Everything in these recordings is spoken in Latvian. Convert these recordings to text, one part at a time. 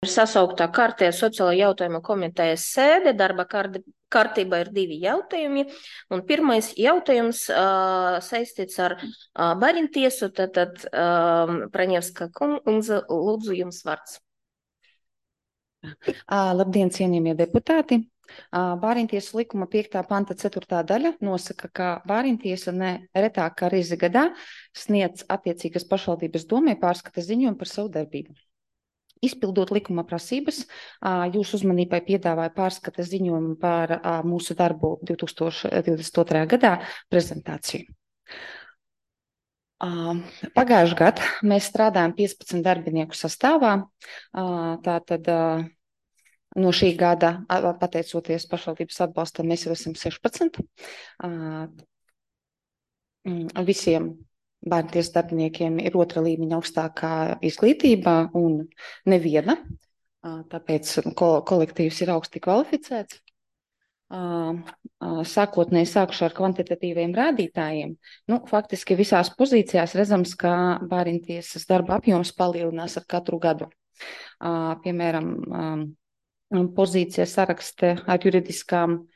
Ir sasauktā kārtējā sociālo jautājumu komitejas sēde. Darba kārtībā ir divi jautājumi. Un pirmais jautājums saistīts ar bērntiesu. Tad Praņevska kundze, lūdzu jums vārds. Labdien, cienījamie deputāti! Bērntiesu likuma 5. panta 4. daļa nosaka, ka bērntiesa ne retāk kā reizi gadā sniedz attiecīgas pašvaldības domai pārskata ziņojumu par savu darbību. Izpildot likuma prasības, jūsu uzmanībai piedāvāju pārskata ziņojumu par mūsu darbu 2022. gadā prezentāciju. Pagājušajā gadā mēs strādājam 15 darbinieku sastāvā. Tātad no šī gada, pateicoties pašvaldības atbalstam, mēs jau esam 16. Visiem bērntiesas darbiniekiem ir otra līmeņa augstākā izglītība un neviena, tāpēc kolektīvs ir augsti kvalificēts. Sākotnēji sākšu ar kvantitatīviem rādītājiem. Faktiski visās pozīcijās redzams, ka bērntiesas darba apjoms palielinās ar katru gadu. Piemēram, pozīcija sarakste ar juridiskām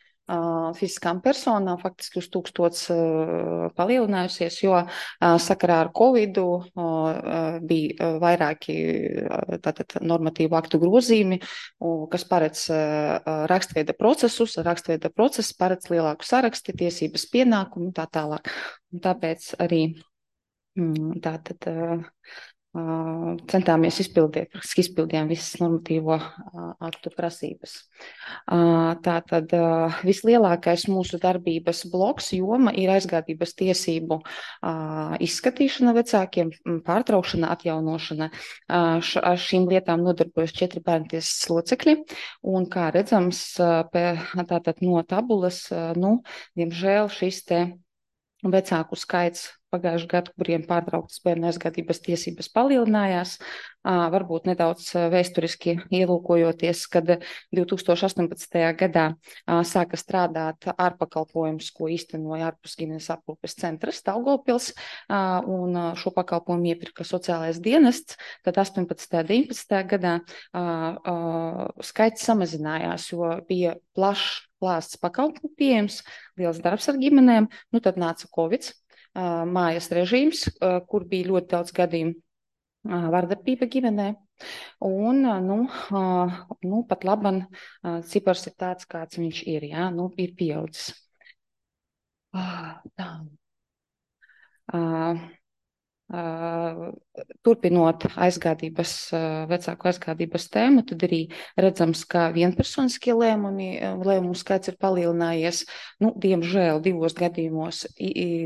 fiziskām personām faktiski uz 1000 palielinājusies, jo sakarā ar Covidu bija vairāki normatīvu aktu grozījumi, kas paredz rakstveida procesus. Rakstveida process paredz lielāku saraksti, tiesības pienākumu un tā tālāk. Un tāpēc arī centāmies izpildījām visas normatīvo aktu prasības. Tātad vislielākais mūsu darbības bloks joma ir aizgādības tiesību izskatīšana vecākiem, pārtraukšana, atjaunošana. Ar šīm lietām nodarbojas 4 bērntiesas locekļi, un kā redzams, tātad no tabulas, diemžēl šis te vecāku skaits pagājušajā gadā, kuriem pārtrauktas bērnu aizgādības tiesības palielinājās. Varbūt nedaudz vēsturiski ielūkojoties, kad 2018. gadā sāka strādāt ārpakalpojums, ko īstenoja ārpus ģimenes aprūpes centrs Daugavpils, un šo pakalpojumu iepirka sociālais dienests. Tad 18. un 19. gadā skaits samazinājās, jo bija plašs klāsts pakalpojumu pieejams, liels darbs ar ģimenēm. Tad nāca Covid, mājas režīms, kur bija ļoti daudz gadījumu vardarbība ģimenē. Un, pat laban cipars ir tāds, kāds viņš ir, ir pieaudzis. Turpinot vecāku aizgādības tēmu, tad arī redzams, ka vienpersoniskie lēmumu skaits ir palielinājies. Diemžēl 2 gadījumos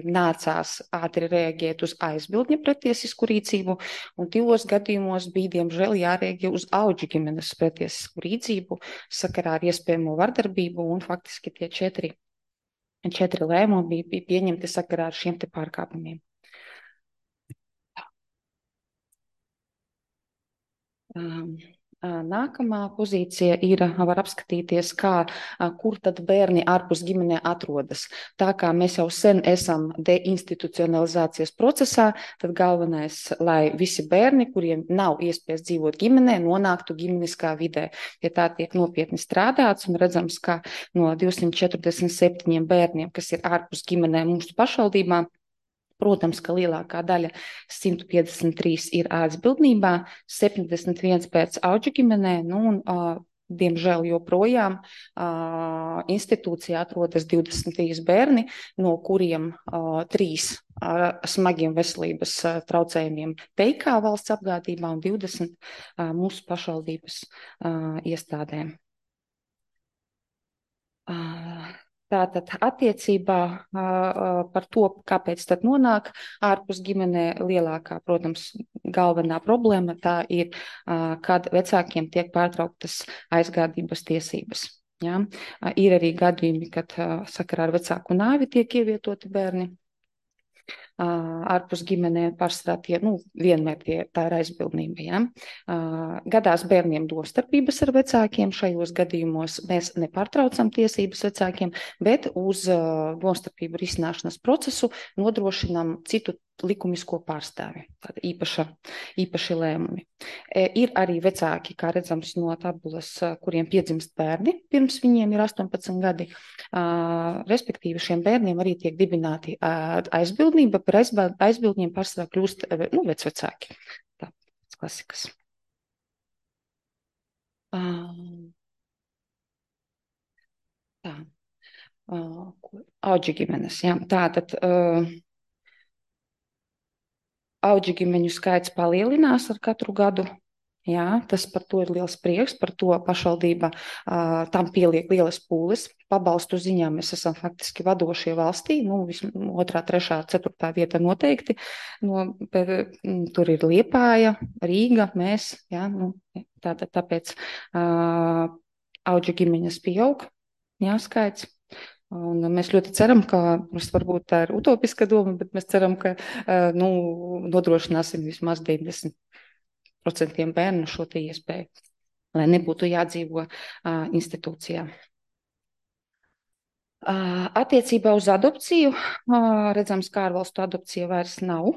nācās ātri reaģēt uz aizbildņa pretiesisku rīcību, un 2 gadījumos bija, diemžēl, jārēģē uz auģu ģimenes pretiesisku rīcību sakarā ar iespējamo vardarbību, un faktiski tie 4 lēmumi bija pieņemti sakarā ar šiem te pārkāpumiem. Nākamā pozīcija var apskatīties, kur tad bērni ārpus ģimenē atrodas. Tā kā mēs jau sen esam deinstitucionalizācijas procesā, tad galvenais, lai visi bērni, kuriem nav iespējas dzīvot ģimenē, nonāktu ģimeniskā vidē. Ja tā tiek nopietni strādāts, un redzams, ka no 247 bērniem, kas ir ārpus ģimenē mūsu pašvaldībā, protams, ka lielākā daļa 153 ir aizbildnībā, 71 pēc auģu ģimenē, diemžēl joprojām institūcijā atrodas 23 bērni, no kuriem 3 ar smagiem veselības traucējumiem PIK valsts apgādībā un 20 mūsu pašvaldības iestādēm. Tātad attiecībā par to, kāpēc tad nonāk ārpus ģimenē, lielākā, protams, galvenā problēma tā ir, kad vecākiem tiek pārtrauktas aizgādības tiesības. Ja? Ir arī gadījumi, kad sakarā ar vecāku nāvi tiek ievietoti bērni. ārpus ģimenēm pārsvarā tie, vienmēr tā ir aizbildnība, ja. Gadās bērniem domstarpības ar vecākiem, šajos gadījumos mēs nepārtraucam tiesības vecākiem, bet uz domstarpību risināšanas procesu nodrošinām citu likumisko pārstāvi, tāda īpaši lēmumi. Ir arī vecāki, kā redzams no tabulas, kuriem piedzimst bērni, pirms viņiem ir 18 gadi. Respektīvi šiem bērniem arī tiek dibināti aizbildnība, par aizbildņiem pārsvarā kļūst vecvecāki. Tā, klasikas. Tā. Auģu ģimenes, jā. Tātad auģu ģimeņu skaits palielinās ar katru gadu. Jā, tas par to ir liels prieks, par to pašvaldība tam pieliek lielas pūles. Pabalstu ziņā mēs esam faktiski vadošie valstī, 2., 3., 4. vieta noteikti. Tur ir Liepāja, Rīga, mēs, jā, tāpēc auģu ģimeņas pieaug, jā, skaits. Un mēs ļoti ceram, ka, varbūt tā ir utopiska doma, bet mēs ceram, ka nodrošināsim vismaz 90% bērnu šo te iespēju, lai nebūtu jādzīvo institūcijā. Attiecībā uz adopciju redzams, ka ārvalstu adopcija vairs nav,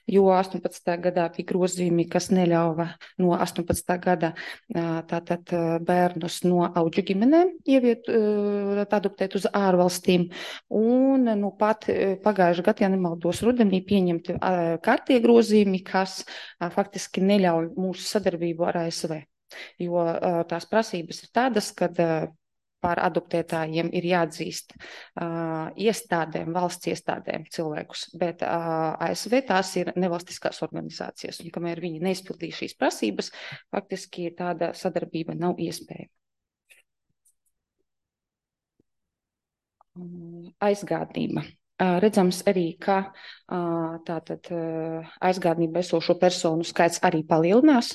jo 18. gadā bija grozījumi, kas neļauva no 18. gada tātad bērnus no auģu ģimenēm adoptēt uz ārvalstīm. Un pat pagājušajā gadā, ja nemaldos, rudenī pieņemti kārtie grozījumi, kas faktiski neļauj mūsu sadarbību ar ASV, jo tās prasības ir tādas, kad par adoptētājiem ir jāatzīst valsts iestādēm cilvēkus, bet ASV tās ir nevalstiskās organizācijas, un kamēr viņi neizpildīja šīs prasības, faktiski tāda sadarbība nav iespējama. Aizgādnība. Redzams arī, ka tātad aizgādnībā esošo personu skaits arī palielinās.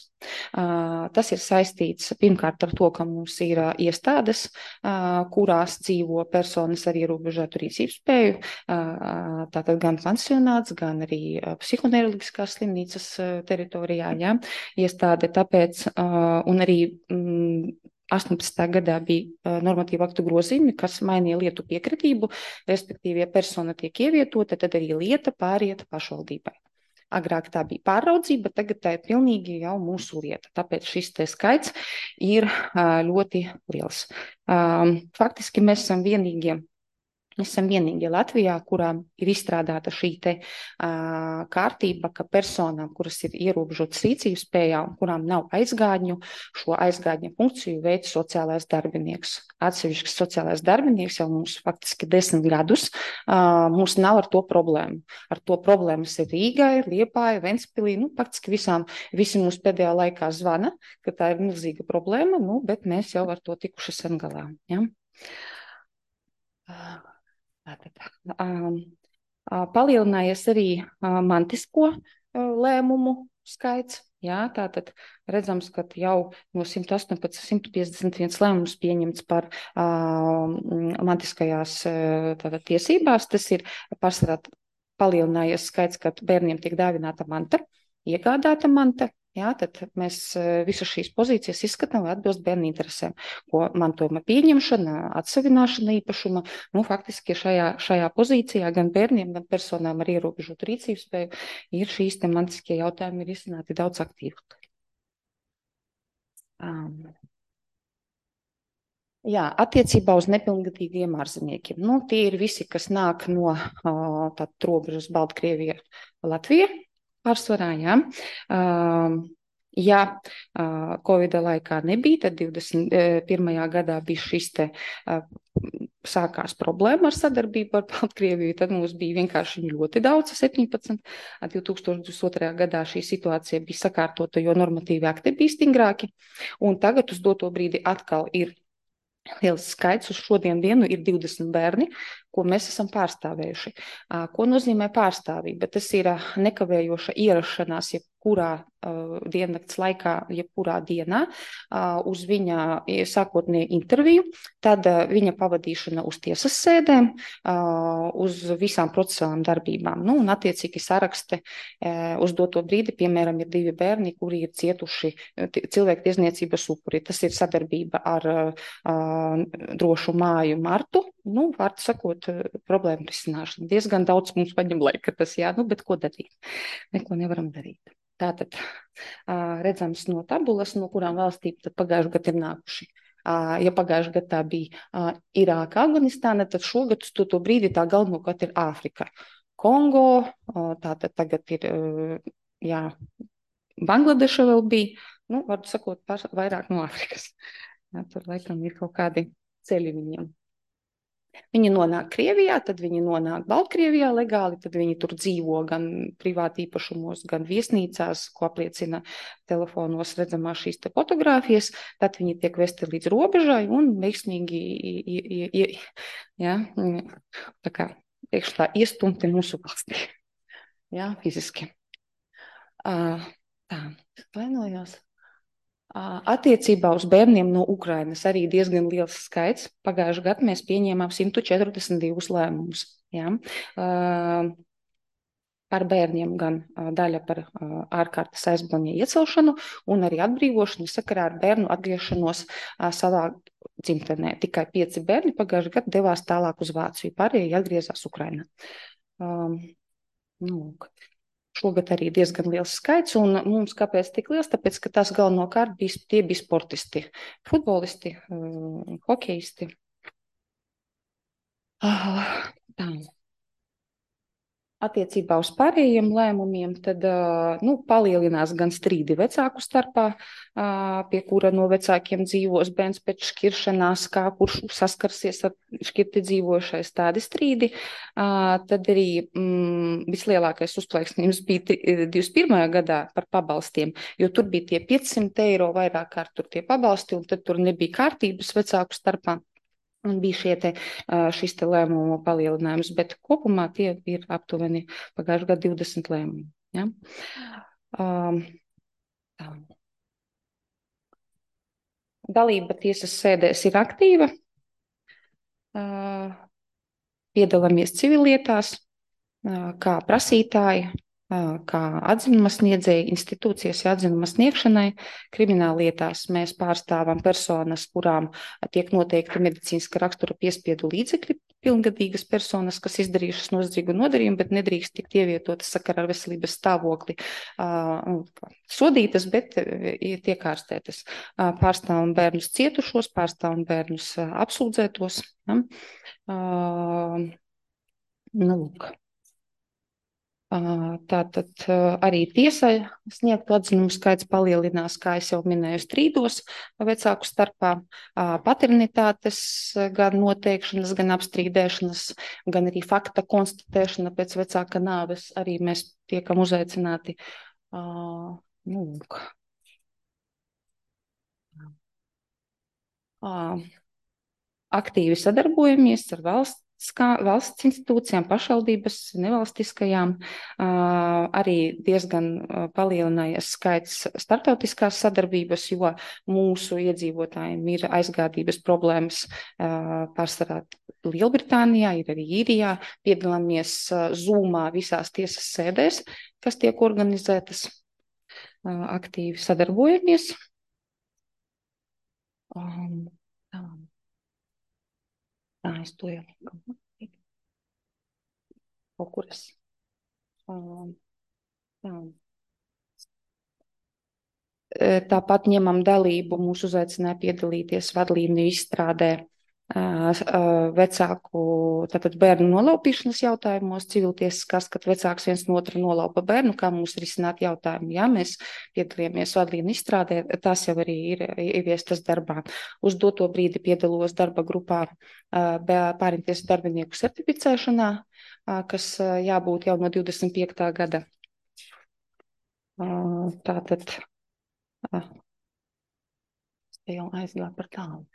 Tas ir saistīts pirmkārt ar to, ka mums ir iestādes, kurās dzīvo personas ar ierobežotu rīcības spēju, tātad gan pansionāts, gan arī psihoneiroloģiskās slimnīcas teritorijā, ja, iestāde, tāpēc, un arī 18. gadā bija normatīva aktu grozījumi, kas mainīja lietu piekritību, respektīvi, ja persona tiek ievietota, tad arī lieta pāriet pašvaldībai. Agrāk tā bija pāraudzība, tagad tā ir pilnīgi jau mūsu lieta, tāpēc šis te skaits ir ļoti liels. Faktiski mēs esam vienīgie Latvijā, kurām ir izstrādāta šī te kārtība, ka personām, kuras ir ierobežotas rīcības spējā un kurām nav aizgādņu, šo aizgādņa funkciju veids sociālais darbinieks. Atsevišķs sociālais darbinieks jau mums faktiski 10 gadus, mums nav ar to problēmu. Ar to problēmas ir Rīgai, Liepāja, Ventspilī, faktiski visi mums pēdējā laikā zvana, ka tā ir milzīga problēma, bet mēs jau ar to tikuši sen galā. Ja? Palielinājies arī mantisko lēmumu skaits. Jā, tātad redzams, ka jau no 118, 151 lēmums pieņemts par mantiskajās tiesībās. Tas ir pārsvarā palielinājies skaits, kad bērniem tiek dāvināta manta, iegādāta manta. Jā, tad mēs visas šīs pozīcijas izskatām, lai atbilst bērnu interesēm, ko mantojuma pieņemšana, atsavināšana īpašuma, faktiski šajā pozīcijā gan bērniem, gan personām ar ierobežotu rīcības spēju ir šīs te mantiskie jautājumi ir izcināti daudz aktīvāk. Jā, attiecībā uz nepilngadīgiem ārzemniekiem. Tie ir visi, kas nāk no robežas Baltkrievija, Latvija. Pārsvarā, jā. Ja Covida laikā nebija, tad 21. gadā bija šis te sākās problēma ar sadarbību ar Baltkrieviju, tad mums bija vienkārši ļoti daudz, 17. 2022. gadā šī situācija bija sakārtota, jo normatīvi akti bija stingrāki, un tagad uz doto brīdi atkal ir liels skaits. Uz šodien dienu ir 20 bērni, ko mēs esam pārstāvējuši. Ko nozīmē pārstāvība? Tas ir nekavējoša ierašanās jebkurā diennakts laikā, jebkurā dienā uz viņa sākotnēju interviju, tad viņa pavadīšana uz tiesas sēdēm, uz visām procesuālām darbībām. Nu, un attiecīgi saraksti uz doto brīdi, piemēram, ir 2 bērni, kuri ir cietuši cilvēktiesniecības upuri. Tas ir sadarbība ar drošu māju Martu. Nu, vārdu sakot, problēmu risināšana. Diezgan daudz mums paņem laika tas, jā, nu, bet ko darīt? Neko nevaram darīt. Tātad redzams no tabulas, no kurām valstīm tad pagājušajā gadā ir nākuši. Ja pagājušajā gadā tā bija Irāka, Afganistāna, tad šogad uz to brīdi tā galvenokārt ir Āfrika. Kongo, tātad tagad ir, jā, Bangladeša vēl bija, nu, vārdu sakot, vairāk no Āfrikas. Jā, tur laikam ir kaut kādi ceļi viņiem. Viņi nonāk Krievijā, tad viņi nonāk Baltkrievijā legāli, tad viņi tur dzīvo gan privāti īpašumos, gan viesnīcās, ko apliecina telefonos redzamās šīs te fotogrāfijas, tad viņi tiek vesti līdz robežai un veiksmīgi, jā, tā kā priekšā iestumti mūsu valstī, jā, fiziski. Tā, vainojos. Attiecībā uz bērniem no Ukrainas arī diezgan liels skaits. Pagājušajā gadā mēs pieņēmām 142 lēmumus. Ja? Par bērniem gan daļa par ārkārtas aizbildņa iecelšanu un arī atbrīvošanu sakarā ar bērnu atgriešanos savā dzimtenē. Tikai 5 bērni pagājušajā gadā devās tālāk uz Vāciju, pārējie atgriezās Ukrainā. Šogad arī diezgan liels skaits, un mums kāpēc tik liels? Tāpēc, ka tas galvenokārt tie bija sportisti, futbolisti, hokejisti. Tā. Attiecībā uz pārējiem lēmumiem, tad palielinās gan strīdi vecāku starpā, pie kura no vecākiem dzīvos bērns pēc šķiršanās, kā kurš saskarsies ar šķirti dzīvošais, tādi strīdi. Tad arī vislielākais uzplaiksnījums bija 21. gadā par pabalstiem, jo tur bija tie 500 eiro vairāk kārt tur tie pabalsti, un tad tur nebija kārtības vecāku starpā. Un bija šis te lēmumu palielinājums, bet kopumā tie ir aptuveni pagājušajā gadā 20 lēmumi. Ja? Dalība tiesas sēdēs ir aktīva. Piedalāmies civillietās, kā prasītāji, kā atzinuma sniedzēji, institūcijas atzinuma sniegšanai. Krimināllietās mēs pārstāvam personas, kurām tiek noteikti medicīniska rakstura piespiedu līdzekļi, pilngadīgas personas, kas izdarījušas noziedzīgu nodarījumu, bet nedrīkst tikt ievietotas sakarā ar veselības stāvokli sodītas, bet tiek ārstētas. Pārstāvam bērnus cietušos, pārstāvam bērnus apsūdzētos. Ja? Lūk. Tātad arī tiesai sniegtu atzinumu skaits palielinās, kā es jau minēju, strīdos vecāku starpā, paternitātes gan noteikšanas, gan apstrīdēšanas, gan arī fakta konstatēšana pēc vecāka nāves arī mēs tiekam uzaicināti. Aktīvi sadarbojamies ar valsts institūcijām, pašvaldības, nevalstiskajām. Arī diezgan palielinājies skaits starptautiskās sadarbības, jo mūsu iedzīvotājiem ir aizgādības problēmas pārsvarā Lielbritānijā, ir arī Īrijā. Piedalāmies Zoomā visās tiesas sēdēs, kas tiek organizētas. Aktīvi sadarbojamies. Es to jau kaut kuras. Tāpat ņemam dalību, mūs uzaicināja piedalīties vadlīniju izstrādē vecāku, tātad bērnu nolaupīšanas jautājumos, civiltiesiskās, kad vecāks viens no otra nolaupa bērnu, kā mums risināt jautājumu. Jā, mēs piedalījāmies vadlīniju izstrādē, tās jau arī ir ieviestas darbā. Uz doto brīdi piedalos darba grupā pārimties darbinieku certificēšanā, kas jābūt jau no 25. gada. Tātad, jau aizgāju par tālu.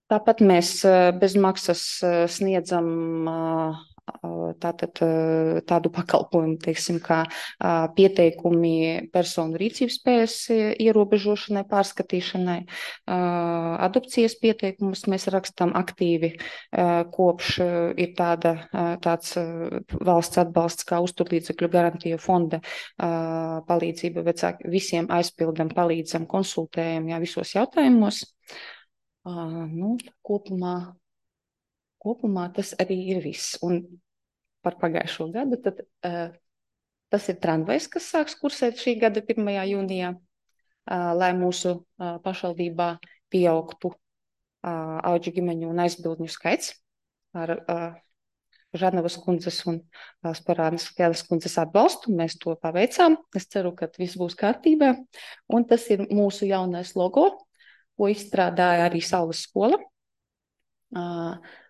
Tāpat mēs bez maksas sniedzam tādu pakalpojumu, teiksim, kā pieteikumi personu rīcības spējas ierobežošanai, pārskatīšanai. Adopcijas pieteikumus mēs rakstam aktīvi, kopš ir tāds valsts atbalsts kā uzturlīdzekļu garantija fonda palīdzība vecāki. Visiem aizpildam, palīdzam, konsultējam, visos jautājumos. Kopumā tas arī ir viss. Un par pagājušo gadu tad, tas ir tramvajs, kas sāks kursēt šī gada 1. jūnijā, lai mūsu pašvaldībā pieaugtu auģu ģimeņu un aizbildņu skaits ar Žarnavas kundzes un Sporānas Kēles kundzes atbalstu. Mēs to paveicām. Es ceru, ka viss būs kārtībā. Un tas ir mūsu jaunais logo, ko izstrādāja arī Saules skola.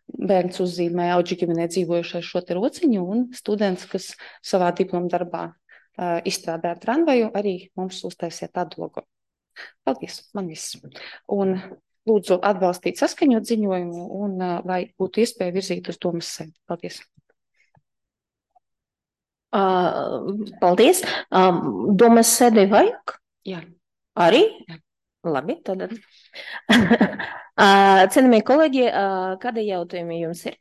Bērns uzzīmēja auģu ģimenē dzīvojušais šo te rociņu, un students, kas savā diploma darbā izstrādāja tramvaju, arī mums uztaisīja tādu logo. Paldies, man viss. Un lūdzu atbalstīt saskaņot ziņojumu, un lai būtu iespēja virzīt uz domas sēdi. Paldies. Paldies. Domas sēdē vajag? Jā. Arī? Jā. Labi, tad. Cienījamie kolēģi, kādi jautājumi jums ir?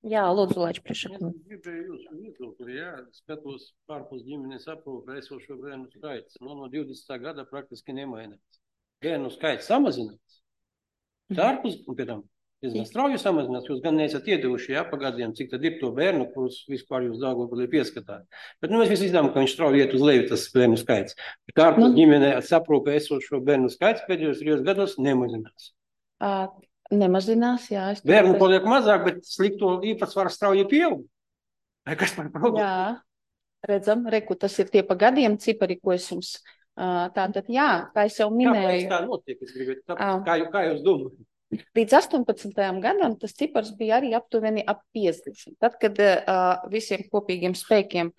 Jā, lūdzu, Laič priekšā. Gribēju jūsu viedokli, skatos pārpus ģimenes aprūpē esošo bērnu skaits. No 20. gada praktiski nemainās. Bērnu skaits samazinās. Ārpus, un pēc tam diezgan strauji samazinās. Jūs gan neesat iedevuši pagadiem, cik tad ir to bērnu, kurus vispār jūs Daugavpilī pieskatāt. Bet mēs visi zinām, ka viņš strauji iet uz leju, tas bērnu skaits. Bet ārpus ģimenē aprūpē esošo bērnu skaits pēdējos 3 gados nemazinās. Nemazinās, jā. Bērnu paliek mazāk, bet slikto īpatsvaru strauji pieaug. Vai kas par problēmu? Jā, redzam, tas ir tie pa gadiem cipari, ko es jums tātad, jā, kā es jau minēju. Kāpēc tā notiek? Es gribētu, kā jūs domājat? Līdz 18. gadam tas cipars bija arī aptuveni ap 50. Tad, kad visiem kopīgiem spēkiem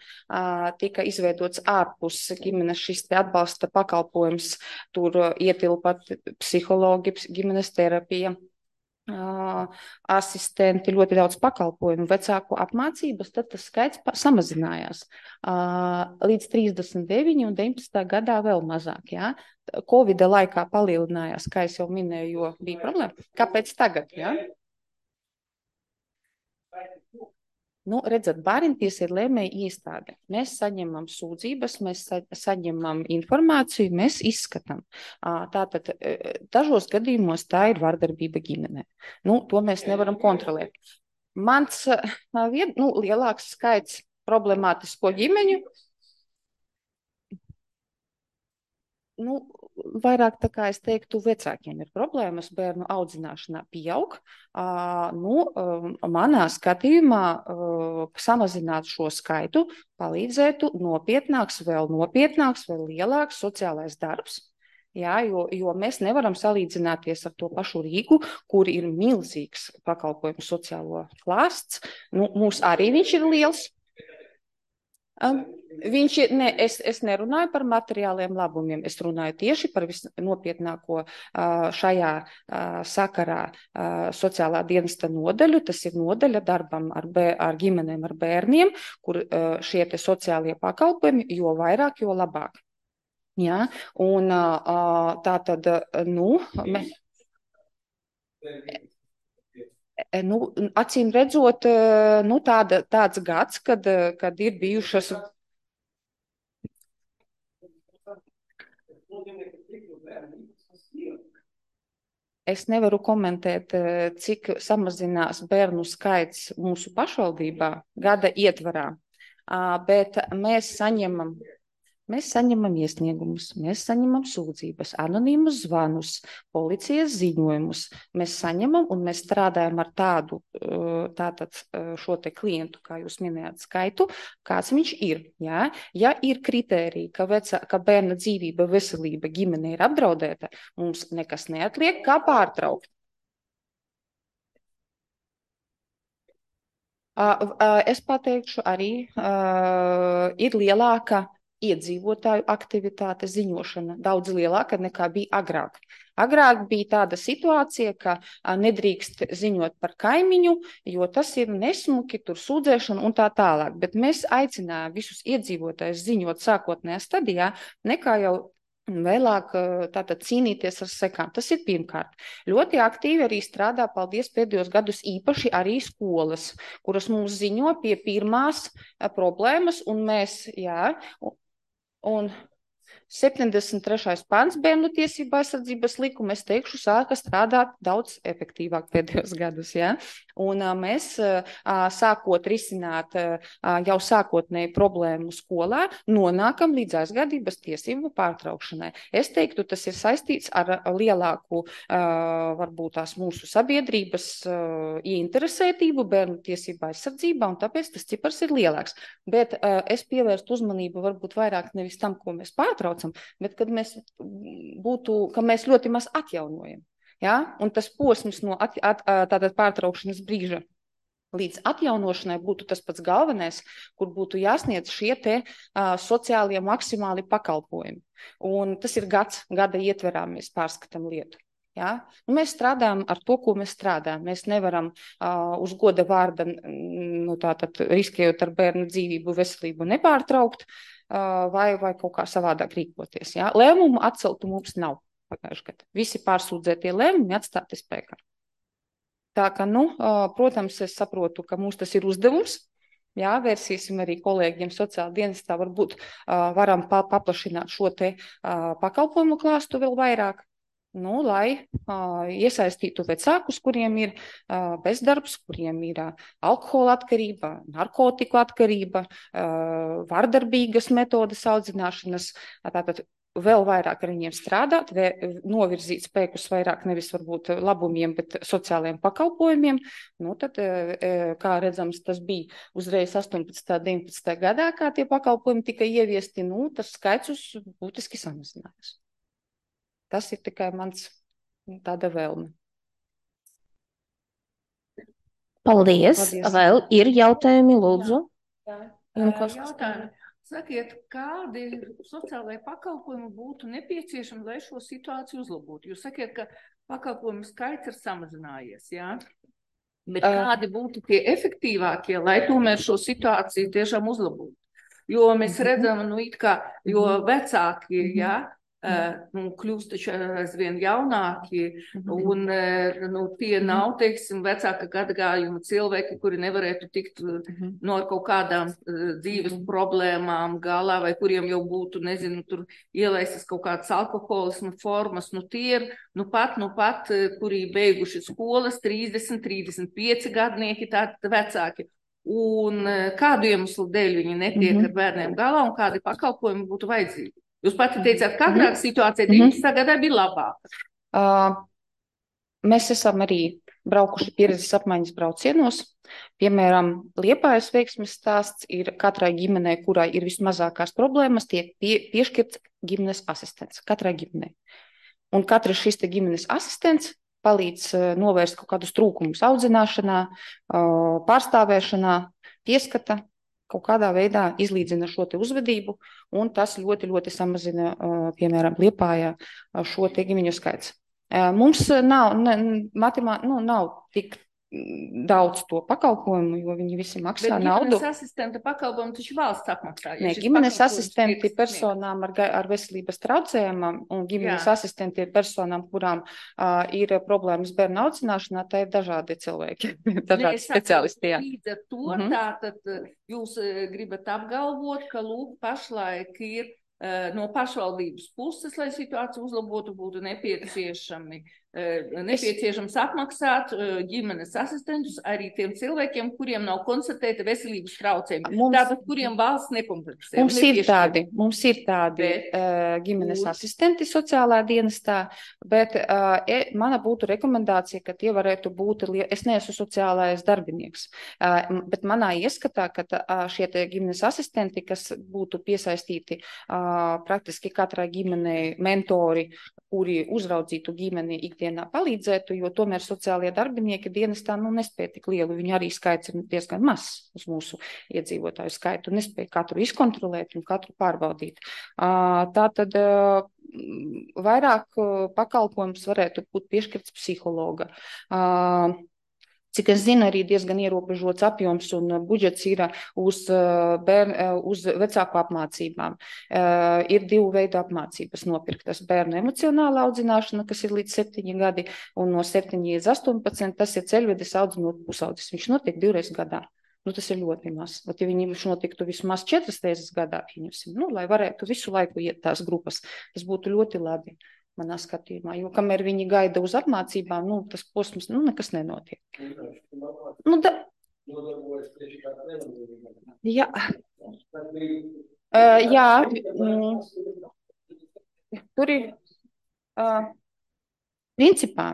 tika izveidots ārpus ģimenes šis te atbalsta pakalpojums, tur ietilpa psihologi, ģimenes terapija, asistenti, ļoti daudz pakalpojumu, vecāku apmācības, tad tas skaits samazinājās līdz 39 un 19. gadā vēl mazāk. Jā. Covida laikā palielinājās, kā es jau minēju, jo bija problēma. Kāpēc tagad? Jā? Redzat, bērntiesa ir lēmēja iestāde. Mēs saņemam sūdzības, mēs saņemam informāciju, mēs izskatām. Tātad dažos gadījumos tā ir vardarbība ģimenē. To mēs nevaram kontrolēt. Mans lielāks skaits problemātisko ģimeņu, vairāk tā kā es teiktu, vecākiem ir problēmas bērnu audzināšanā pieaug. Manā skatījumā samazināt šo skaitu palīdzētu nopietnāks, vēl lielāks sociālais darbs. Jā, jo mēs nevaram salīdzināties ar to pašu Rīgu, kur ir milzīgs pakalpojumu sociālo klāsts. Mūs arī viņš ir liels. Es nerunāju par materiāliem labumiem, es runāju tieši par visnopietnāko šajā sakarā sociālā dienesta nodaļu. Tas ir nodaļa darbam ar ģimenēm, ar bērniem, kur šie te sociālie pakalpojumi, jo vairāk, jo labāk. Jā, un tā tad, acīm redzot, tāds gads, kad ir bijušas. Es nevaru komentēt, cik samazinās bērnu skaits mūsu pašvaldībā gada ietvarā, bet mēs saņemam iesniegumus, mēs saņemam sūdzības, anonīmus zvanus, policijas ziņojumus. Mēs saņemam un mēs strādājam ar tātad šo te klientu, kā jūs minējāt, skaitu, kāds viņš ir. Jā? Ja ir kritērija, ka bērna dzīvība, veselība ģimene ir apdraudēta, mums nekas neatliek, kā pārtraukt. Es pateikšu arī, ir lielāka iedzīvotāju aktivitāte ziņošana daudz lielāka nekā bija agrāk. Agrāk bija tāda situācija, ka nedrīkst ziņot par kaimiņu, jo tas ir nesmuki, tur sūdzēšana un tā tālāk. Bet mēs aicinājām visus iedzīvotājus ziņot sākotnējā stadijā, nekā jau vēlāk tātad cīnīties ar sekām. Tas ir pirmkārt. Ļoti aktīvi arī strādā, paldies, pēdējos gadus īpaši arī skolas, kuras mums ziņo pie pirmās problēmas, un mēs, un 73. pants Bērnu tiesību aizsardzības likuma, es teikšu, sāka strādāt daudz efektīvāk pēdējos gadus. Ja? Un mēs sākot risināt jau sākotnēji problēmu skolā, nonākam līdz aizgādības tiesību pārtraukšanai. Es teiktu, tas ir saistīts ar lielāku, varbūt tās mūsu sabiedrības ieinteresētību bērnu tiesību aizsardzībā, un tāpēc tas cipars ir lielāks. Bet es pievērstu uzmanību varbūt vairāk nevis tam, ko mēs pārtraucam, bet kad mēs ka mēs ļoti maz atjaunojam. Ja? Un tas posms no tātad pārtraukšanas brīža līdz atjaunošanai būtu tas pats galvenais, kur būtu jāsniedz šie te sociālie maksimāli pakalpojumi. Un tas ir gada ietverā mēs pārskatām lietu. Ja? Mēs strādājam ar to, ko mēs strādājam. Mēs nevaram uz goda vārda, tātad riskējot ar bērnu dzīvību, veselību nepārtraukt, vai kaut kā savādāk rīkoties. Ja? Lēmumu atceltu mums nav pagājušajā gadā. Visi pārsūdzētie lēmumi atstāti spēkā. Tā ka, protams, es saprotu, ka mums tas ir uzdevums. Jā, vērsīsim arī kolēģiem sociāla dienestā, varbūt varam paplašināt šo te pakalpojumu klāstu vēl vairāk. Lai iesaistītu vecākus, kuriem ir bezdarbs, kuriem ir alkohola atkarība, narkotiku atkarība, vardarbīgas metodas audzināšanas, tātad vēl vairāk ar viņiem strādāt, novirzīt spēkus vairāk nevis varbūt labumiem, bet sociālajiem pakalpojumiem. Tad, kā redzams, tas bija uzreiz 18. 19. gadā, kā tie pakalpojumi tika ieviesti, tas skaits būtiski samazinājās. Tas ir tikai mans tāda vēlme. Paldies. Vēl ir jautājumi, lūdzu? Jautājumi. Sakiet, kādi sociālajie pakalpojumi būtu nepieciešami, lai šo situāciju uzlabotu? Jūs sakiet, ka pakalpojumu skaits ir samazinājies, jā? Bet kādi būtu tie efektīvākie, lai tomēr šo situāciju tiešām uzlabotu? Jo mēs redzam, jo vecāki, jā, kļūst taču aizvien jaunāki, un tie nav, teiksim, vecāka gadagājuma cilvēki, kuri nevarētu tikt no kaut kādām dzīves problēmām galā, vai kuriem jau būtu, nezinu, tur ielaistas kaut kādas alkoholismu formas, tie ir, pat, kuri beiguši skolas, 30, 35 gadnieki, tādi vecāki. Un kādu iemeslu dēļ viņi netiek ar bērniem galā, un kādi pakalpojumi būtu vajadzīgi? Jūs pati teicāt, ka agrāk situācija 19. gadā bija labāka. Mēs esam arī braukuši pieredzes apmaiņas braucienos. Piemēram, Liepājas veiksmes stāsts ir katrai ģimenei, kurai ir vismazākās problēmas, tiek piešķirts ģimenes asistents. Katrai ģimenei. Un katrs šis te ģimenes asistents palīdz novērst kaut kādus trūkumus audzināšanā, pārstāvēšanā, pieskata, kaut kādā veidā izlīdzina šo te uzvedību, un tas ļoti, ļoti samazina, piemēram, Liepājā šo te ģimeņu skaits. Mums nav tik daudz to pakalpojumu, jo viņi visi maksā naudu. Bet ģimenes asistenta pakalpojumu taču valsts apmaksā. Nē, ģimenes asistenti personām ar veselības traucējumam un ģimenes asistenti ir personām, kurām ir problēmas bērnu audzināšanā, tā ir dažādi cilvēki, dažādi speciālisti. Līdz ar to tātad jūs gribat apgalvot, ka lūk pašlaik ir no pašvaldības puses, lai situāciju uzlabotu, būtu nepieciešams apmaksāt ģimenes asistentus arī tiem cilvēkiem, kuriem nav konstatēta veselības traucējumi. Tātad, kuriem valsts nekompensē. Mums ir tādi ģimenes asistenti sociālā dienestā, bet mana būtu rekomendācija, ka tie varētu būt, es neesmu sociālais darbinieks, bet manā ieskatā, ka šie ģimenes asistenti, kas būtu piesaistīti praktiski katrai ģimenei mentori, kuri uzraudzītu ģimeni ikdienā palīdzētu, jo tomēr sociālie darbinieki dienestā nespēja tik lielu, viņu arī skaits ir diezgan mazs uz mūsu iedzīvotāju skaitu, nespēja katru izkontrolēt un katru pārbaudīt. Tātad vairāk pakalpojums varētu būt piešķirts psihologa. Cik es zinu, arī diezgan ierobežots apjoms un budžets ir uz vecāku apmācībām. Ir 2 veidu apmācības nopirktas: bērnu emocionāla audzināšana, kas ir līdz 7 gadi, un no 7 līdz 18 tas ir ceļvedes audzinot pusaudzis. Viņš notiek 2 reizes gadā. Tas ir ļoti maz. Bet, ja viņš notiktu vismaz 4 reizes gadā, lai varētu visu laiku iet tās grupas, tas būtu ļoti labi manā skatījumā. Jo kamēr viņi gaida uz apmācībām, tas posms, nekas nenotiek. Jā. Jā. Tur ir principā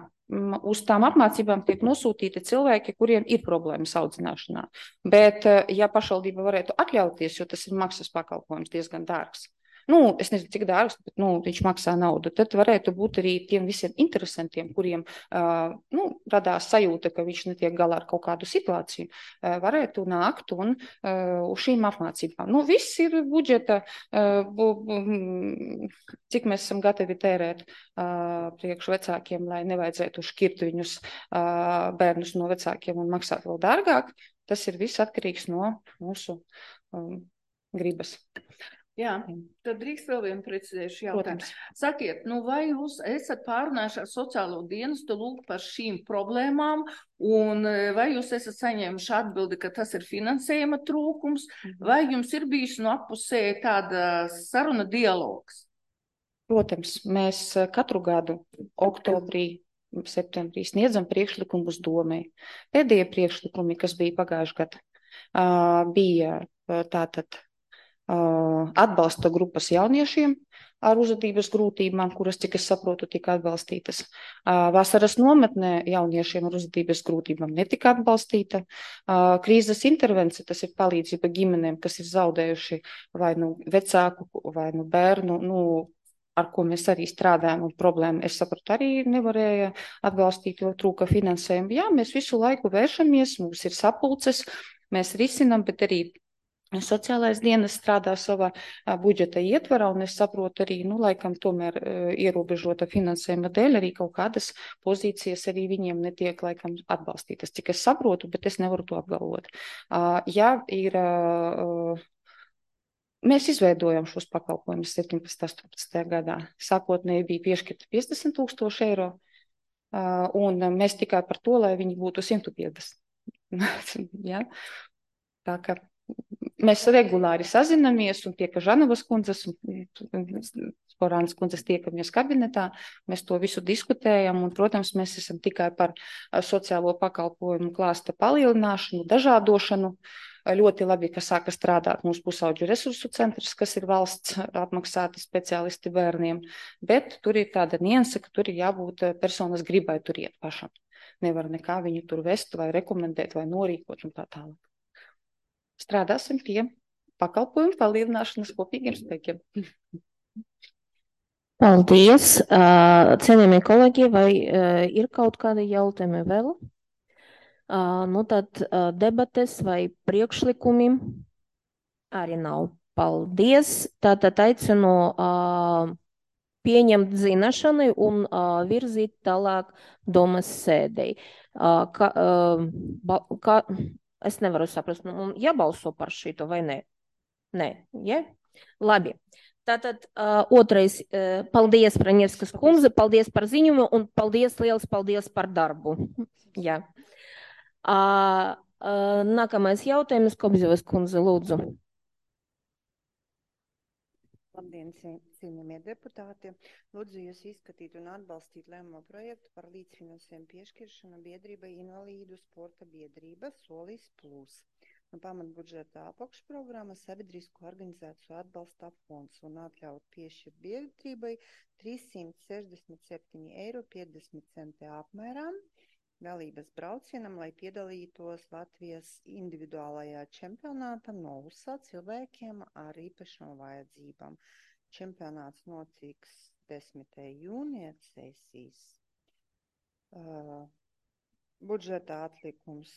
uz tām apmācībām tiek nosūtīti cilvēki, kuriem ir problēmas audzināšanā. Bet, ja pašvaldība varētu atļauties, jo tas ir maksas pakalpojums diezgan dārgs, es nezinu, cik dārgs, bet viņš maksā naudu, tad varētu būt arī tiem visiem interesantiem, kuriem radās sajūta, ka viņš netiek galā ar kaut kādu situāciju, varētu nākt un uz šīm apmācībām. Viss ir budžeta, cik mēs esam gatavi tērēt priekš vecākiem, lai nevajadzētu šķirt viņus bērnus no vecākiem un maksāt vēl dārgāk. Tas ir viss atkarīgs no mūsu gribas. Jā, tad drīkst vēl vienu precizējušu jautājumu. Sakiet, vai jūs esat pārunājuši ar sociālo dienestu lūgt par šīm problēmām, un vai jūs esat saņēmuši atbildi, ka tas ir finansējuma trūkums, vai jums ir bijis no appusē tāda saruna dialogs? Protams, mēs katru gadu oktobrī, septembrī sniedzam priekšlikumus domai. Pēdējie priekšlikumi, kas bija pagājuši gadu, bija tātad atbalsta grupas jauniešiem ar uzvedības grūtībām, kuras, cik es saprotu, tika atbalstītas. Vasaras nometnē jauniešiem ar uzvedības grūtībām netika atbalstīta. Krīzes intervence, tas ir palīdzība ģimenēm, kas ir zaudējuši vai vecāku, vai bērnu, ar ko mēs arī strādājam, un problēmu, es sapratu, arī nevarēja atbalstīt, jo trūka finansējumu. Jā, mēs visu laiku vēršamies, mums ir sapulces, mēs risinam, bet arī sociālais dienas strādā savā budžeta ietvarā, un es saprotu arī, laikam tomēr ierobežota finansējuma dēļ, arī kaut kādas pozīcijas arī viņiem netiek laikam atbalstītas. Cik es saprotu, bet es nevaru to apgalvot. Jā, ir... Mēs izveidojam šos pakalpojumus 17. 18. gadā. Sākotnēji bija piešķirta 50 000 eiro, un mēs tikai par to, lai viņi būtu 150. Ja? Tā kā mēs regulāri sazinamies, un tiek Žanovas kundzes un Sporānas kundzes tiekamies kabinetā, mēs to visu diskutējam, un, protams, mēs esam tikai par sociālo pakalpojumu klāsta palielināšanu, dažādošanu. Ļoti labi, ka sāka strādāt mūsu pusauģu resursu centrs, kas ir valsts apmaksāti speciālisti bērniem, bet tur ir tāda nianse, ka tur ir jābūt personas gribai tur iet pašam. Nevar nekā viņu tur vest vai rekomendēt vai norīkot un tā tālāk. Strādāsim pie pakalpojumu palielināšanas kopīgiem spēkiem. Paldies. Cienījamie kolēģi, vai ir kaut kādi jautājumi vēl? Tad debates vai priekšlikumi arī nav. Paldies. Tātad aicinu pieņemt zināšanai un virzīt tālāk domas sēdei. Es nevaru saprast, jābalso par šito vai nē? Nē, ja? Labi. Tātad otrais, paldies, Praņevskas kundze, paldies par ziņumu un liels paldies par darbu. Jā. Nākamais jautājums, Kobzevas kundze, lūdzu. Labdien, cienījamie deputāti. Lūdzu jūs izskatīt un atbalstīt lēmumu projektu par līdzfinansējumu piešķiršanu biedrībai Invalīdu sporta biedrība Solis Plus. Pamatbudžeta apakšprogramma Sabiedrisko organizāciju atbalsta fonds un atļaut piešķirt biedrībai 367,50 eiro apmērā dalības braucienam, lai piedalītos Latvijas individuālajā čempionātā Novusā cilvēkiem ar īpašām vajadzībām. čempionāts notiks 10. jūnija sesijas. Budžeta atlikums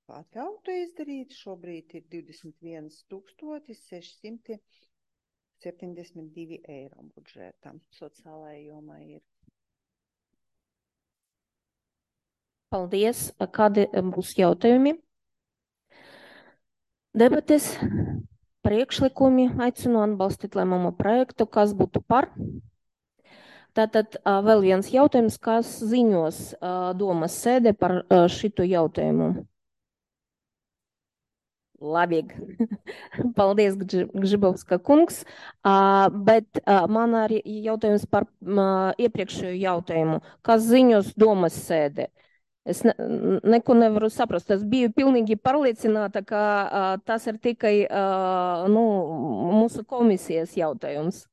atļautu izdarīt. Šobrīd ir 21 672 eiro budžetam. Sociālajai jomai ir. Paldies. Kādi būs jautājumi? Debates, priekšlikumi, aicinu atbalstīt lēmumu projektu, kas būtu par. Tātad vēl viens jautājums, kas ziņos domas sēde par šitu jautājumu. Labi. Paldies, Gžibovska kungs. Bet man arī jautājums par iepriekšējo jautājumu. Kas ziņos domas sēde? Es neko nevaru saprast. Es biju pilnīgi pārliecināta, ka tas ir tikai mūsu komisijas jautājums.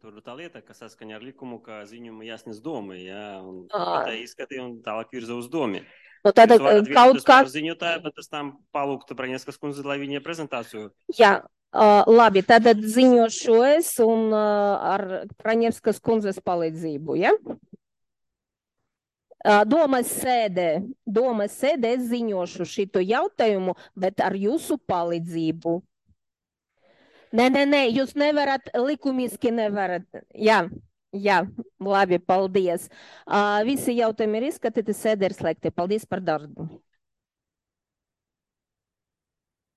Tur tā lieta, ka saskaņā ar likumu, ka ziņumu jāsniedz domai, jā, un tā izskatīja un tālāk virza uz domi. Nu, tātad kaut kā... Ziņotāji, bet tas tam palūgtu Praņevskas kundze, lai viņa prezentāciju. Jā, labi, tātad ziņošu es un ar Praņevskas kundzes palīdzību, ja? Domas sēdē es ziņošu šitu jautājumu, bet ar jūsu palīdzību. Nē, jūs nevarat, likumiski nevarat. Jā, labi, paldies. Visi jautājumi ir izskatīti, sēde ir slēgta. Paldies par darbu.